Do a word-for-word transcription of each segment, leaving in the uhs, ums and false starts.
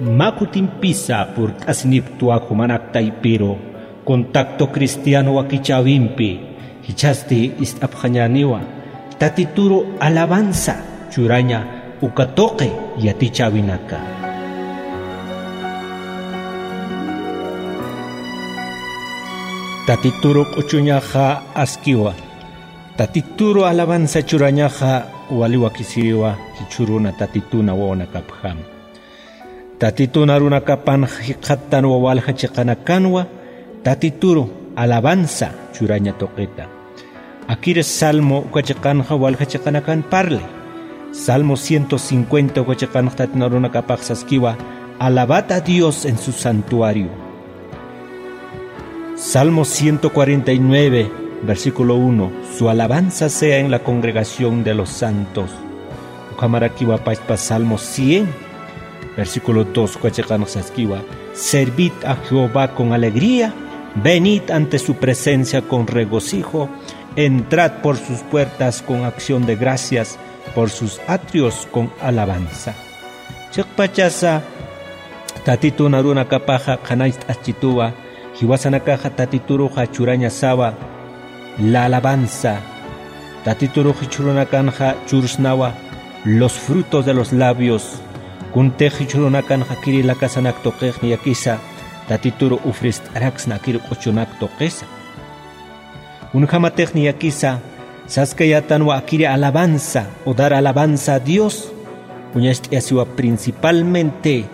Mä kutimpisa purt'asinipktwa jumanak taypiru contacto cristiano wakichäwimpi, jichhasti ist'apxañäniwa tatituru alabanza churaña uka tuqi yatichäwinaka. Tatituru q'uchuñaxa askiwa. Tatituru alabanza churañaxa wali wakisiriwa jichhüruna tatituna wawanakapjam. Tatitun arunakapanx jikxattanwa walja chiqanakanwa tatituru alabanza churaña tuqita. Akir Salmo uka chiqanxa walja chiqanakan parli. Salmo ciento cincuenta uka chiqanx tatitun arunakapax saskiwa: "Alabad a Dios en su santuario". Salmo ciento cuarenta y nueve, versículo uno: "Su alabanza sea en la congregación de los santos". Ukhamarakiwa pachpa Salmo cien, versículo dos, uka chiqanx saskiwa: "Servid a Jehová con alegría, venid ante su presencia con regocijo, entrad por sus puertas con acción de gracias, por sus atrios con alabanza". Chiqpachasa tatitun arunakapaxa qhanañcht'aschituwa, jiwasanakaxa tatituruxa churañasawa la alabanza. Tatiturux jichhürunakanxa chursnawa los frutos de los labios. Kuntix jichhürunakanxa kiri lakasanak tuqix niyakisa tatituru ufrist'araksna kiri q'uchunak tuqisa. Kunjämatix niyakisa saskayätanwa akiri alabanza o dar alabanza a Dios. Uñacht'ayasiwa principalmente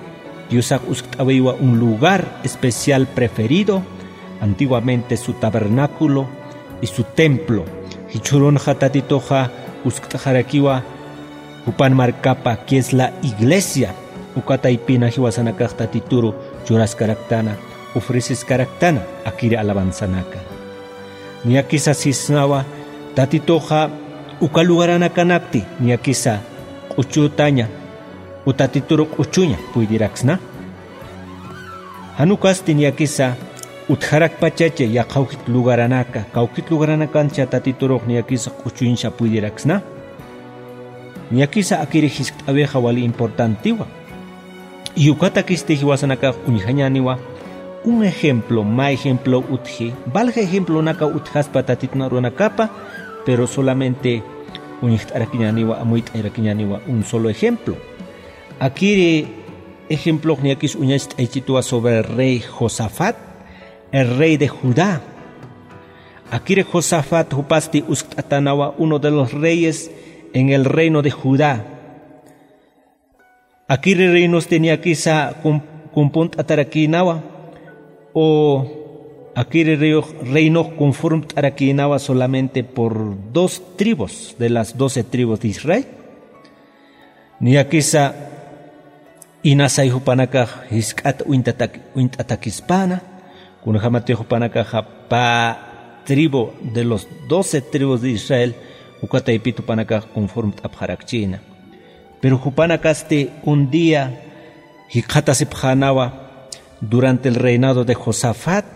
Diosax uskt'awiwa un lugar especial preferido, antiguamente su tabernáculo y su templo. Jichhürunxa tatituxa uskt'xarakiwa jupan markapa, que es la iglesia. Uka taypina jiwasanakax tatituru churaskaraktana, ofreciskaraktana akiri alabanzanaka. Niyakisa sisnawa tatituxa uka lugaranakanakti niyakisa q'uchütaña o tatituru q'uchuña puydiraksna. Jan ukasti niyakisa utjarakpachachi yaqha juk'it lugaranaka, kawkit lugaranakancha tatiturux niyakisa q'uchuñsa puydiraksna. Niyakisa akiri jiskt'awixa wali importantiwa. Y ukatakisti jiwasanakax uñjañäniwa un ejemplo, mä ejemplo utji, valja ejemplonaka utjaspa tatitun arunakapa, pero solamente uñjt'arakiñäniwa, amuyt'ayarakiñäniwa un solo ejemplo. Akiri ejemplox niyakis uñacht'aychituwa sobre el rey Josafat, el rey de Judá. Akiri Josafat jupasti uskt'atänawa uno de los reyes en el reino de Judá. Akiri reinosti niyakisa cum-, cumpunt'atarakïnawa, o akiri reinox, reinox conformt'arakïnawa solamente por dos tribus de las doce tribus de Israel. Niyakisa inasay jupanakax jisk'at uñtatak-, uñt'atakispäna, kunjämatix jupanakaxa pä tribu de los doce tribus de Israel, uka taypit jupanakax conformt'apxarakchïna. Pero jupanakasti un día jikxatasipxänawa durante el reinado de Josafat,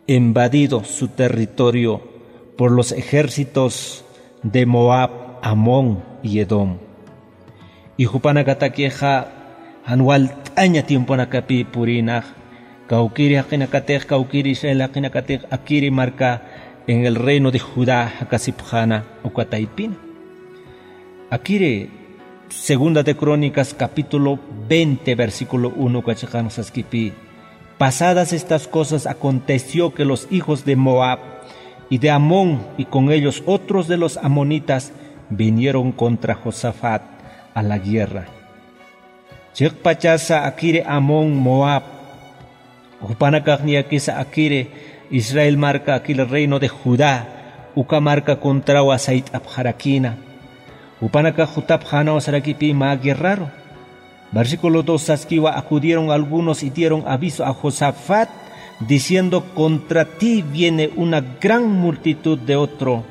invadido su territorio por los ejércitos de Moab, Amón y Edom. Y jupanakatakixa jan walt'aña tiemponakapï purïnax, kawkïri jaqinakatix, kawkïri Israel jaqinakatix, akiri marka en el reino de Judá jakasipxäna uka taypina. Akiri Segunda de Crónicas, capítulo veinte, versículo uno, uka chiqan saskipï: Pasadas estas cosas, aconteció que los hijos de Moab y de Amón, y con ellos otros de los amonitas, vinieron contra Josafat a la guerra. Chiqpachasa akiri Amón, Moab, jupanakax niyakisa akiri Israel marka, akiri reino de Judá, uka marka contrawa sayt'apxarakïna. Jupanakax jutapxänaw sarakipï mä guerraru. Versículo dos saskiwa: Acudieron algunos y dieron aviso a Josafat, diciendo: Contra ti viene una gran multitud de otro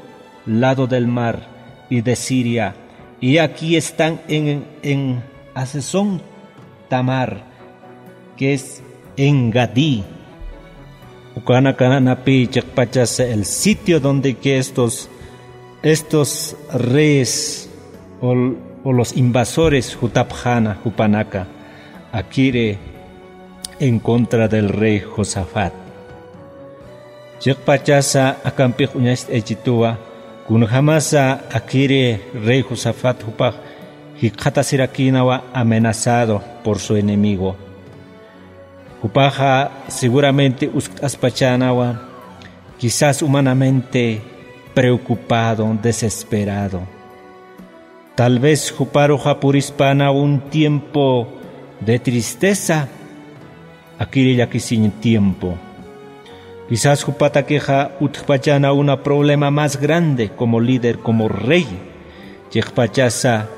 lado del mar y de Siria, y aquí están en, en Hazezón Tamar, que es En-gadí. Ukanakanapï chiqpachasa el sitio donde que estos, estos reyes o, o los invasores jutapxäna jupanaka. Akiri en contra del rey Josafat. Chiqpachasa akampix uñacht'aychituwa, kunjamasa akiri rey Josafat jupax jikxatasirakïnawa amenazado por su enemigo. Jupaxa seguramente uskt'aspachänawa, quizás humanamente preocupado, desesperado. Tal vez juparuxa purispäna un tiempo de tristeza, akiri llakisiñ tiempo. Quizás jupatakixa utjpachäna una problema más grande como líder, como rey. Chiqpachasa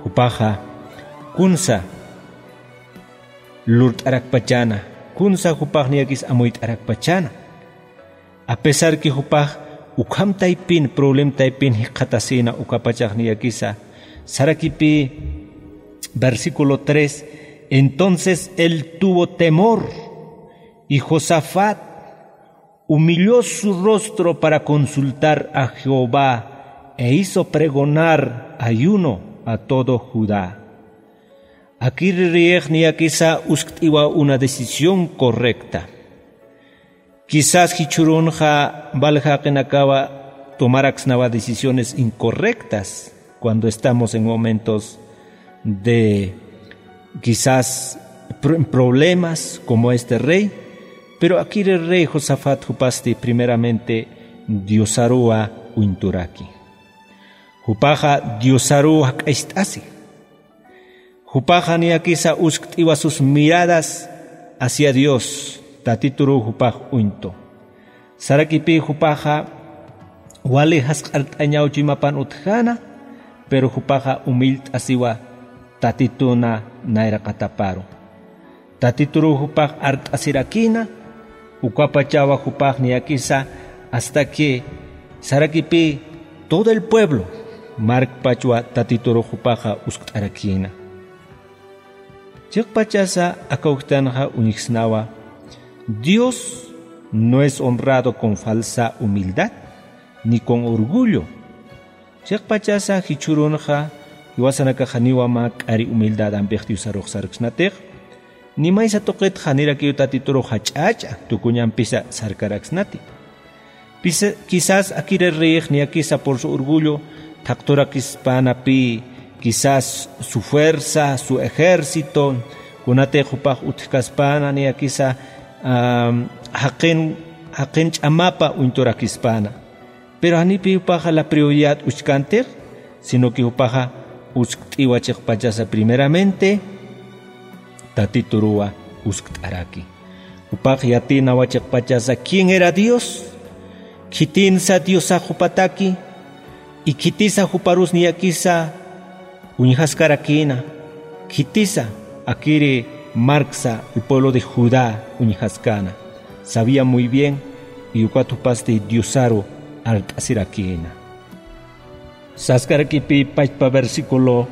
jupaxa kunsa lurt'arakpachäna, kunsa jupax niyakis amuyt'arakpachäna. A pesar que jupax ukham taypin, problem taypin jikxatasïna, ukapachax niyakisa sarakipï, versículo tres: Entonces él tuvo temor, y Josafat humilló su rostro para consultar a Jehová, e hizo pregonar ayuno a todo Judá. Akiri reyix niyakisa uskt'iwa una decisión correcta. Quizás jichhürunxa wal jaqinakawa tomaraksnawa decisiones incorrectas cuando estamos en momentos de quizás pr-, problemas como este rey, pero akiri rey Josafat jupasti primeramente Diosaruwa uñturaki. Jupaxa Diosaruw jak'acht'asi. Jupaxa niyakisa uskt'iwa sus miradas hacia Dios, Tatituruw jupax uñtu. Sarakipï jupaxa wali jasq'art'añaw chuymapan utjäna, pero jupaxa humillt'asiwa Tatituna nayraqataparu. Tatituruw jupax art'asirakïna, ukapachawa jupax niyakisa hasta que sarakipï todo el pueblo markpachwa Tatituruw jupaxa uskt'arakïna. Chiqpachasa aka ujtanxa uñjsnawa: Dios no es honrado con falsa humildad ni con orgullo. Chiqpachasa jichhürunxa jiwasanakax janiwa mä k'ari humildadanpix Diosarux sarksnatix, ni maysa tuqit janirakiw Tatiturux jach'ach'a tukuñampisa sarkaraksnati. Pisa-, quizás akiri reyix niyakisa por su orgullo thaqturakispänapï, quizás su fuerza, su ejército, kunatix jupax utjkaspäna niyakisa, am, jaqin, jaqin ch'amapa uñturakispana. Pero janipï jupaxa la prioridad uskantix, sino que jupaxa uskt'iwa chiqpachasa primeramente Tatituruwa uskt'araki. Jupax yatïnawa chiqpachasa quién era Dios, khitinsa Diosax jupataki, y khitisa juparus niyakisa uñjaskarakïna, khitisa akiri marksa el pueblo de Judá uñjaskäna. Sabía muy bien, y ukat jupasti Diosaru art'asirakïna. Saskarakipï pachpa versículo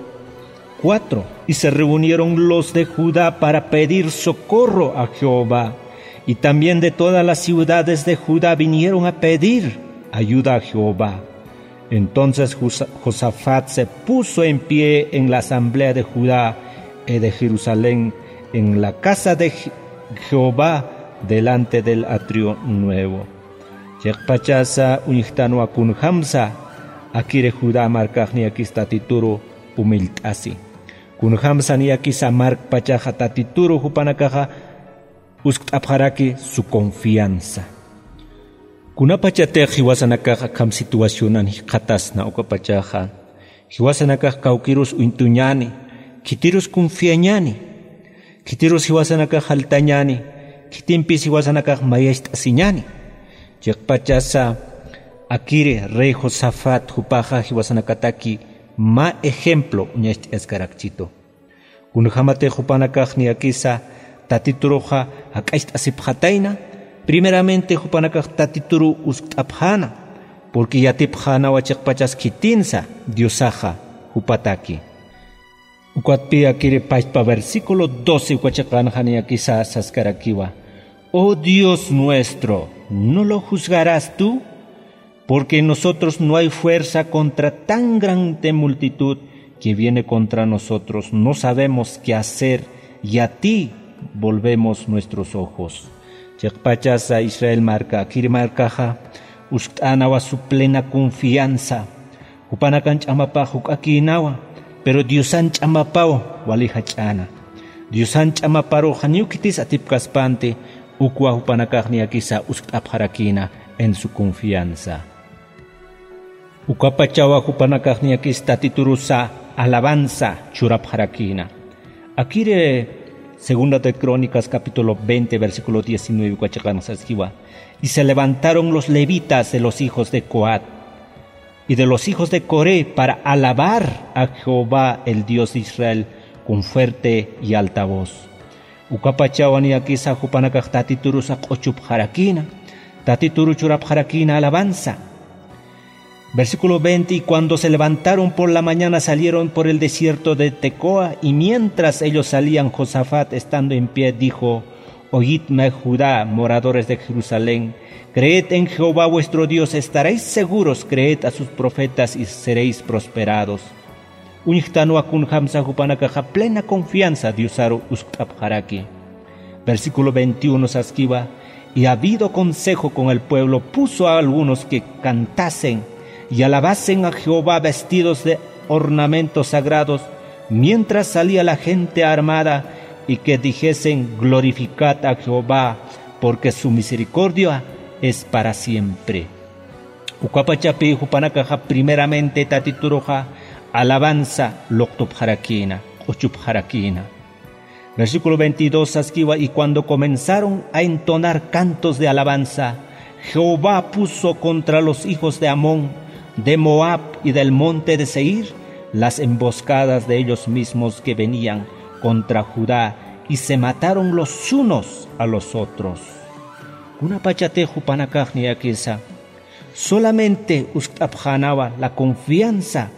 cuatro: Y se reunieron los de Judá para pedir socorro a Jehová, y también de todas las ciudades de Judá vinieron a pedir ayuda a Jehová. Entonces Josa-, Josafat se puso en pie en la asamblea de Judá y de Jerusalén, en la casa de Je-, Jehová, delante del atrio nuevo. Chiqpachasa uñjtanwa kunjamsa akiri Judá markax niyakis Tatituru humilt'asi. Kunjamsa niyakisa markpachaxa Tatituru jupanakaxa uskt'apxaraki su confianza. Kunapachatix jiwasanakax akham situacionan jikxatasna ukapachaxa, jiwasanakax kawkirus uñtuñäni, khitirus confiañäni, khitirus jiwasanakax jaltañäni, khitimpis jiwasanakax mayacht'asiñäni. Chiqpachasa akiri rey Josafat jupaxa jiwasanakataki mä ejemplo uñacht'askarakchitu. Kunjamatix jupanakax niyakisa Tatituruxa jak'acht'asipxatayna, primeramente jupanakax Tatituru uskt'apxäna, porque yatipxänawa chiqpachas khitinsa Diosaxa jupataki. Ukatpï akiri pachpa versículo doce uka chiqanxa niyakisa saskarakiwa: Oh Dios nuestro, ¿no lo juzgarás tú? Porque en nosotros no hay fuerza contra tan grande multitud que viene contra nosotros. No sabemos qué hacer y a ti volvemos nuestros ojos. Chiqpachasa Israel marka, akiri markaxa uskt'änawa su plena confianza. Jupanakan ch'amapax juk'akïnawa, pero Diosan ch'amapaw wali jach'äna. Diosan ch'amaparux janiw khitis atipkaspanti, ukwa jupanakax niyakisa uskt'apxarakïna en su confianza. Ukapachawa jupanakax niyakis Tatiturusa alabanza churapxarakïna. Akiri Segunda de Crónicas capítulo veinte, versículo diecinueve, uka chiqan saskiwa: Y se levantaron los levitas de los hijos de Coat y de los hijos de Coré para alabar a Jehová, el Dios de Israel, con fuerte y alta voz. Ukapachawa niyakisa jupanakax Tatiturusa q'uchupxarakïna. Tatituru churapxarakïna alabanza. Versículo veinte: Y cuando se levantaron por la mañana, salieron por el desierto de Tecoa, y mientras ellos salían, Josafat, estando en pie, dijo: Oídme, Judá, moradores de Jerusalén, creed en Jehová vuestro Dios, estaréis seguros, creed a sus profetas y seréis prosperados. Uñjtanwa kunjamsa jupanakaxa plena confianza Diosaru uskt'apxaraki. Versículo veintiuno saskiwa: Y habido consejo con el pueblo, puso a algunos que cantasen y alabasen a Jehová vestidos de ornamentos sagrados, mientras salía la gente armada, y que dijesen: Glorificad a Jehová, porque su misericordia es para siempre. Ukapachapi jupanakaxa primeramente Tatituruxa alabanza luqtupxarakïna, q'uchupxarakïna. Versículo veintidós saskiwa: Y cuando comenzaron a entonar cantos de alabanza, Jehová puso contra los hijos de Amón, de Moab y del monte de Seir, las emboscadas de ellos mismos que venían contra Judá, y se mataron los unos a los otros. Kunapachatix jupanakax niyakisa solamente uskt'apxänawa la confianza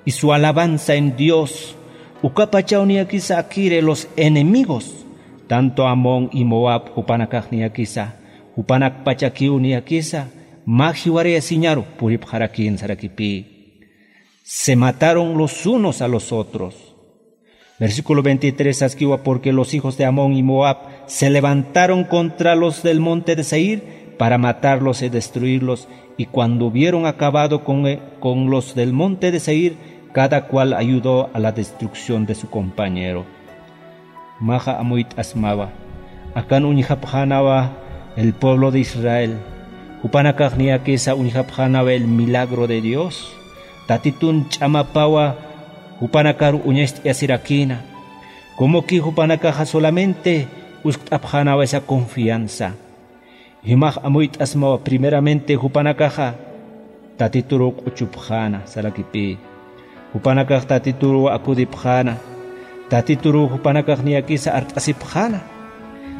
y su alabanza en Dios, ukapachaw niyakisa akiri los enemigos, tanto Amón y Moab, jupanakax niyakisa, jupanakpachakiw niyakisa, mä jiwarayasiñaru puripxarakïn sarakipï. Se mataron los unos a los otros. Versículo veintitrés saskiwa: Porque los hijos de Amón y Moab se levantaron contra los del monte de Seir para matarlos y destruirlos, y cuando hubieron acabado con, con los del monte de Seir, cada cual ayudó a la destrucción de su compañero. Maxa amuyt'asmawa. Akan uñjapxänawa el pueblo de Israel. Jupanakax niyakisa uñjapxänawa el milagro de Dios. Tatitun ch'amapawa jupanakaru uñacht'ayasirakïna. Como que jupanakaxa solamente uskt'apxänawa esa confianza. Jimax amuyt'asmawa primeramente jupanakaxa Tatituru q'uchupxäna sarakipï. Jupanakax Tatituru akudipxäna. Tatituru jupanakax niyakisa art'asipxäna.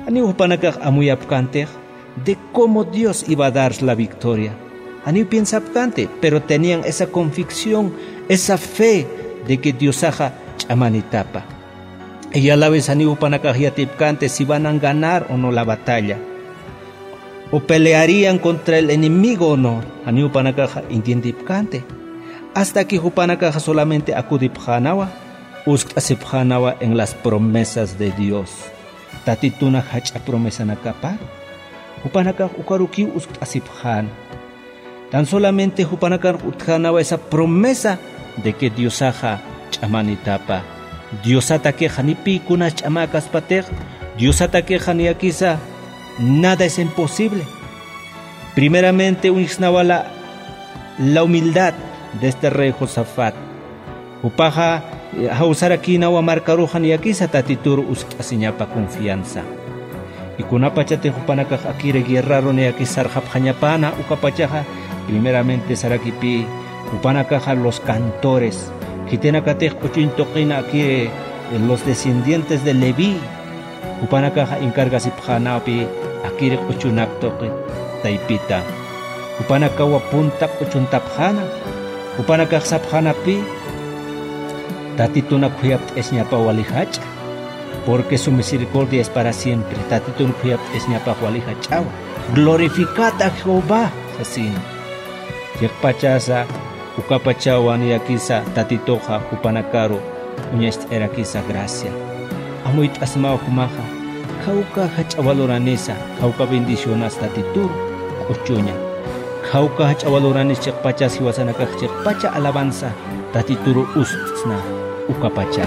Janiw jupanakax amuyapkantix de cómo Dios iba a dar la victoria. Janiw piensapkante, pero tenían esa convicción, esa fe de que Diosaxa ch'amanitapa. Y a la vez janiw jupanakax yatipkante si van a ganar o no la batalla, o pelearían contra el enemigo o no, janiw jupanakaxa entiendipkante. Hasta que jupanakaxa solamente akudipxänawa, uskt'asipxänawa en las promesas de Dios. Tatituna jach'a promesanakaparu. Jupanakax ukarukiw uskt'asipxäna. Tan solamente jupanakar utjänawa esa promesa de que Diosaxa ch'amanitapa. Diosatakixa ni pï kunas ch'amäkaspatix, Diosatakixa niyakisa nada es imposible. Primeramente uñjsnawa la, la humildad de este rey Josafat. Jupaxa, eh, jawsarakïnawa markaruxa niyakisa Tatituru uskt'asiñapa confianza. Y kunapachatix jupanakax akiri guerraru niyakis sarxapxañapäna ukapachaxa, primeramente sarakipï, jupanakaxa los cantores, khitinakatix q'uchuñ tuqina akiri, eh, los descendientes de Leví, jupanakaxa encargasipxänapï akiri q'uchunak tuqi taypita. Jupanakawa punta q'uchuntapxäna. Jupanakax sapxänapï: Tatituna khuyapt'asiñapa wali jach'a, porque su misericordia es para siempre. Tatitun khuyapt'asiñapax wali jach'awa. Glorificad a Jehová, sasina. Chiqpachasa, ukapachawa niyakisa Tatituxa jupanakaru uñacht'ayarakisa gracia. amuyt'asmaw jumaxa. Khawka jach'a valoranisa, khawka bendicionas Tatitur k'uchuña. Khawka jach'a valoranis chiqpachas jiwasanakax chiqpacha alabanza Tatituru ustsna ukapacha.